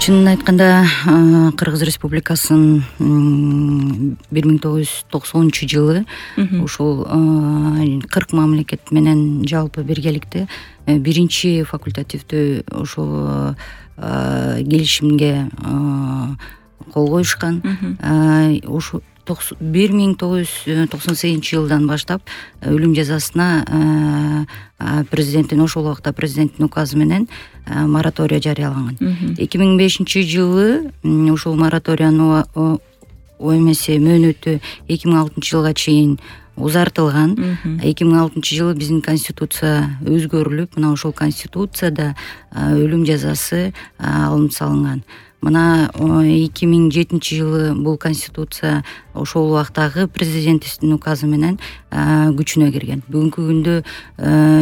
Чынын айтканда Кыргыз Республикасынын 1990-жылы ушул 40 мамлекет менен жалпы биргеликте биринчи факультативдүү ушул келишимге кол коюшкан. Ушу 1998-жылдан баштап өлүм жазасына президенттин ошол убакта президенттин указы менен мораторий жарыяланган. 2005-жылы ушул мораториянын мөөнөтү 2006-жылга чейин узартылган. 2006-жылы биздин конституция өзгөрүлүп, мына ошол конституцияда өлүм жазасы алынып салынган. Мына 2007-жылы бул конституция ошол убактагы президенттин указы менен күчүнө кирген. Бүгүнкү күндө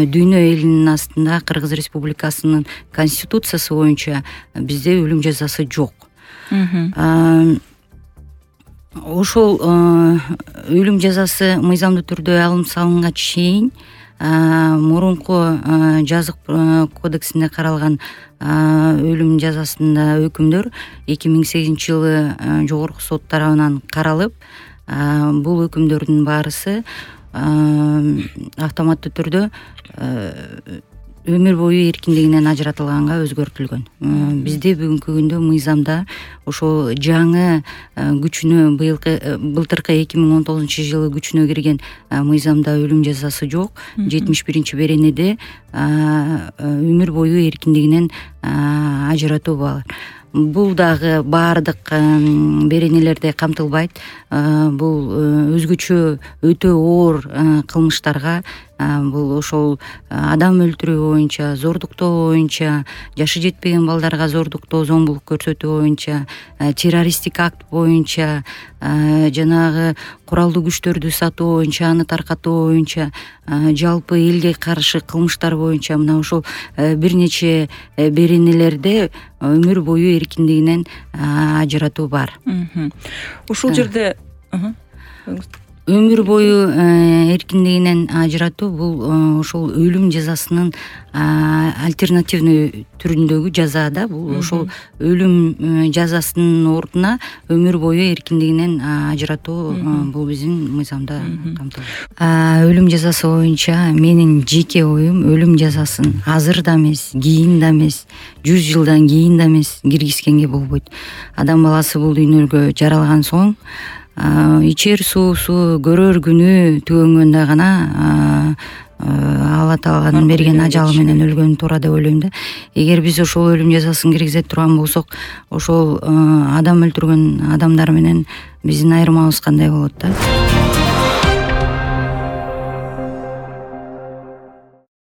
дүйнө элинин астында Кыргыз Республикасынын конституциясы боюнча бизде өлүм жазасы жок. Ошол өлүм жазасы мыйзамдуу түрдө алынып салынганга чейин мурунку жазык кодексинде каралган өлүм жазасында өкүмдөр 2008-жылы жогорку сот тарабынан каралып, бул өкүмдөрдүн баарысы автоматтуу түрдө өмүр бою эркиндигинен ажыратылганга өзгөртүлгөн. Бизде бүгүнкү күндө мыйзамда ошол жаңы күчүнө былтыркы 2019-жылы күчүнө кирген мыйзамда өлүм жазасы жок. 71-беренеде өмүр бою эркиндигинен ажыратуу бар. Бул дагы баардык беренелерде камтылбайт. Бул өзгөчө өтө оор кылмыштарга, бул ошол адам өлтүрүү боюнча, зордуктоо боюнча, жашы жетпеген балдарга зордуктоо, зомбулук көрсөтүү боюнча, террористтик акт боюнча, жанагы куралдуу күчтөрдү сатуу боюнча, аны таркатуу боюнча, жалпы элге каршы кылмыштар боюнча мына ошол бир нече беренелерде өмүр бою эркиндигинен ажыратуу бар. Ушул жерде өмүр бою эркиндигинен ажыратуу бул ошол өлүм жазасынын альтернативный түрүндөгү жаза да. Бул ошол өлүм жазасынын ордуна өмүр бою эркиндигинен ажыратуу бул биздин мыйзамда камтылган. Өлүм жазасы боюнча менин жеке оюм өлүм жазасын азыр да эмес, кийин да эмес, 100 жылдан кийин да эмес киргизгенге болбойт. Адам баласы бул дүйнөгө жаралган соң ичер суусу, көрөр күнү түгөнгөндө гана Алла Тааланын берген ажалы менен өлгөнү туура деп ойлойм да. Эгер биз ошол өлүм жазасын киргизе турган болсок, ошол адам өлтүргөн адамдар менен биздин айырмабыз кандай болот да?